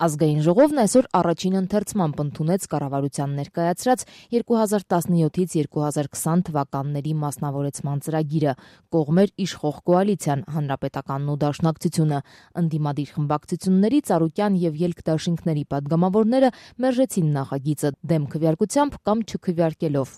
Ազգային ժողովն այսօր առաջին ընթերցմամբ ընդունեց կառավարության ներկայացրած 2017-ից 2020 թվականների մասնավորեցման ծրագիրը, կողմեր իշխող կոալիցիան, Հանրապետականն ու Դաշնակցությունը, ընդդիմադիր խմբակցությունների, Ծառուկյան եւ ելք դաշինքների պատգամավորները մերժեցին նախագիծը դեմ քվեարկությամբ կամ չքվեարկելով։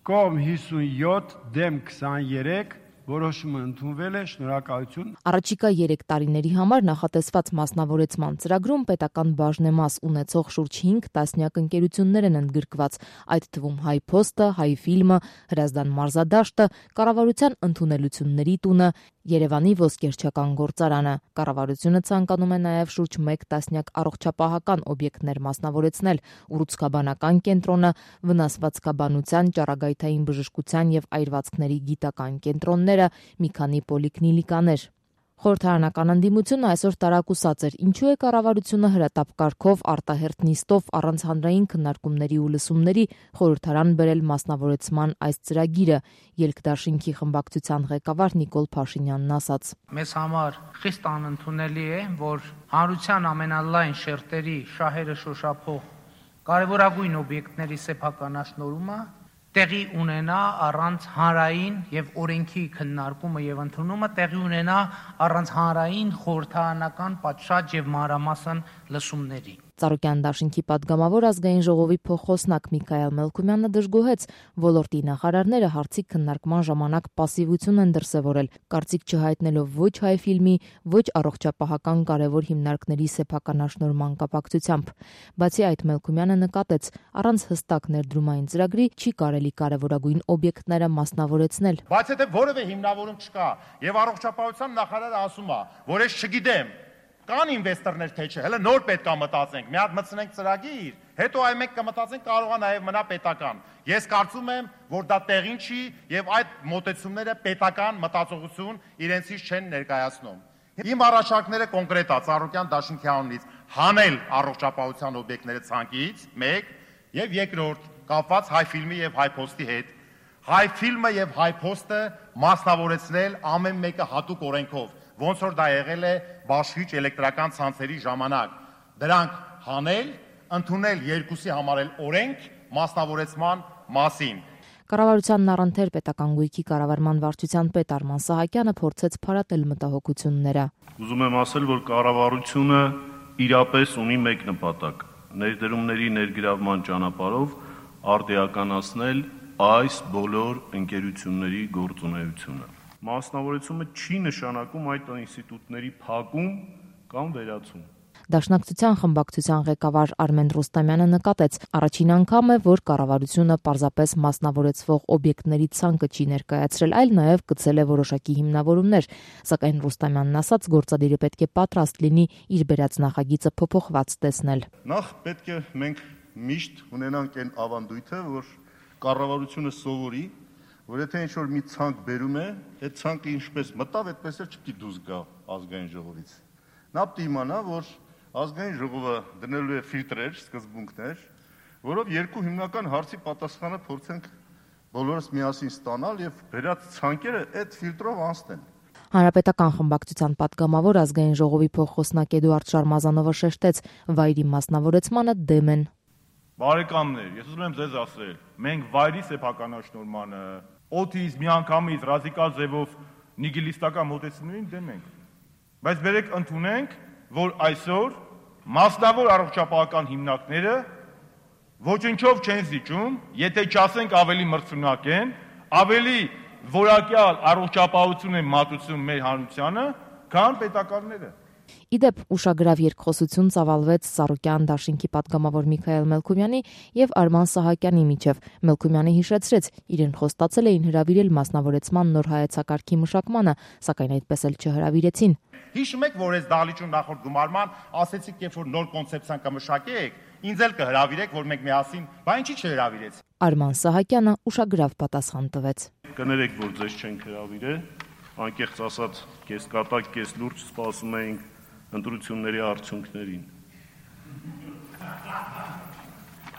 Կողմ 57, դեմ 23 որոշումը ընդունվել է, շնորհակալություն։ Առաջիկա 3 տարիների համար նախատեսված մասնավորեցման ծրագրում պետական բաժնեմաս ունեցող շուրջ 5 տասնյակ ընկերություններ են ընդգրկված, այդ թվում Հայ Փոստը, Հայ Ֆիլմը, Հրազդան մարզադաշտը, Կառավարության ընդունելությունների տունը, Երևանի ոսկերչական գործարանը։ Կառավարությունը ցանկանում է նաև շուրջ 1 տասնյակ առողջապահական օբյեկտներ մասնավորեցնել՝ ուռուցքաբանական կենտրոնը, վնասվածքաբանության, ճառագայթային բժշկության եւ այրվածքների գիտական կենտրոնները, մի քանի պոլիկլինիկաներ։ Խորհրդարանական ընդդիմությունը այսօր տարակուսած էր, ինչու է կառավարությունը հրատապ կարգով արտահերթ նիստով առանց հանրային քննարկումների ու լսումների խորհրդարան բերել մասնավորեցման այս ծրագիրը, ելք դաշինքի խմբակցության ղեկավար Նիկոլ Փաշինյանն ասաց. Մեզ համար խիստ անընդունելի է, որ հանրության ամենալայն շերտերի շահերը շոշափող կարևորագույն օբյեկտների սեփականաշնորհումը տեղի ունենա առանց հանրային եւ օրենքի քննարկումը եւ ընդունումը, տեղի ունենա առանց հանրային խորհրդարանական պատշաճ եւ մանրամասն լսումների։ Ծառուկյան դաշինքի падգամավոր ազգային ժողովի փոխխոսնակ Միքայել Մելքումյանը դժգոհեց ոլորտի նախարարները հարցի քննարկման ժամանակ պասիվություն են դրսևորել, կարծիք չհայտնելով ոչ Հայ Ֆիլմի, ոչ առողջապահական կարևոր հիմնարկների սեփականաշնորհման կապակցությամբ։ Բացի այդ, Մելքումյանը նկատեց, առանց հստակ ներդրումային ծրագրի չի կարելի կարևորագույն օբյեկտները մասնավորեցնել։ Բայց եթե որևէ հիմնավորում չկա եւ առողջապահության նախարարը ասում է, որ ես չգիտեմ կան ինվեստորներ թե չէ, հələ նոր պետք է մտածենք, մի հատ մտցնենք ծրագիր, հետո այ մենք կմտածենք կարող է նաև մնա պետական։ Ես կարծում եմ, որ դա տեղին չի եւ այդ մոտեցումները պետական մտածողություն իրենցից չեն ներկայացնում։ Իմ առաջարկները կոնկրետ է Ծառուկյան դաշինքի անունից հանել առողջապահության օբյեկտները ցանկից 1 եւ երկրորդ կապված Հայ Ֆիլմի եւ Հայ Փոստի հետ։ Հայ Ֆիլմը եւ Հայ Փոստը մասնավորեցնել ամեն մեկը հատուկ օրենքով, ոնց որ դա եղել է բաշխիչ էլեկտրական ցանցերի ժամանակ։ Դրանք հանել, ընդունել երկուսի համար էլ օրենք մասնավորեցման մասին։ Կառավարությանն առընթեր պետական գույքի կառավարման վարչության պետ Արման Սահակյանը փորձեց փարատել մտահոգությունները։ Ուզում եմ ասել, որ կառավարությունը իրապես ունի մեկ նպատակ՝ ներդրումների ներգրավման ճանապարհով արդիականացնել այս բոլոր ընկերությունների գործունեությունը։ Մասնավորեցումը չի նշանակում այդ ինստիտուտների փակում կամ վերացում։ Դաշնակցության խմբակցության ղեկավար Արմեն Ռուստամյանը նկատեց, առաջին անգամ է, որ կառավարությունը պարզապես մասնավորեցվող օբյեկտների ցանկը չի ներկայացրել, այլ նաև գծել է որոշակի հիմնավորումներ, սակայն Ռուստամյանն ասաց, գործադիրը պետք է պատրաստ լինի իր բերած նախագիծը փոփոխված տեսնել։ Նախ պետք է մենք միշտ ունենանք այն ավանդույթը, որ կառավարությունը սովորի, որ եթե ինչ-որ մի ցանկ բերում է, այդ ցանկը ինչպես մտավ, այդպես էլ չպետք է դուրս գա ազգային ժողովից։ Նա պետք է իմանա, որ ազգային ժողովը դնելու է ֆիլտրեր, սկզբունքներ, որով երկու հիմնական հարցի պատասխանը փորձենք բոլորս միասին ստանալ եւ վերած ցանկերը այդ ֆիլտրով անցնեն։ Հանրապետական խմբակցության падգամավոր ազգային ժողովի փոխխոսնակ Էդուարդ Շարմազանովը շեշտեց, վայրի մասնավորեցմանը դեմ են։ Բարեկամներ, ես ուզում եմ ձեզ ասել, մենք վայրի սեփականաշնորհմանը, օդից միանգամից ռադիկալ ձևով նիգիլիստական մոտեցումներին դեմ ենք։ Բայց բերեք ընդունենք, որ այսօր մասնավոր առողջապահական հիմնարկները ոչնչով չեն զիջում, եթե չասենք ավելի մրցունակ են, ավելի որակյալ առողջապահություն են մատուցում մեր հանրությանը, քան պետականները։ Իդեպ ուշագրավ երկխոսություն ծավալվեց Ծառուկյան դաշինքի падգամավոր Միքայել Մելքումյանի եւ Արման Սահակյանի միջև։ Մելքումյանը հիշեցրեց, իրեն խոստացել էին հրավիրել մասնավորեցման նոր հայեցակարգի մշակմանը, սակայն այդպես էլ չհրավիրեցին։ Հիշում եք, որ այս դահլիճում նախորդ գումարման ասեցիք, երբ որ նոր կոնցեպցիան կմշակեք, ինձ էլ կհրավիրեք, որ մենք միասին, բա ինչի չհրավիրեց։ Արման Սահակյանը ուշագրավ պատասխան տվեց։ Կներեք, որ ձեզ չենք հրավիրել, անկեղծ ասած, կեսկատակ, կես լուրջ սպասում էինք ընտրությունների արդյունքներին։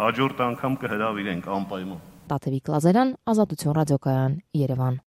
Հաջորդ անգամ կհրավիրենք անպայման։ Տաթևիկ Լազարյան, Ազատություն ռադիոկայան, Երևան։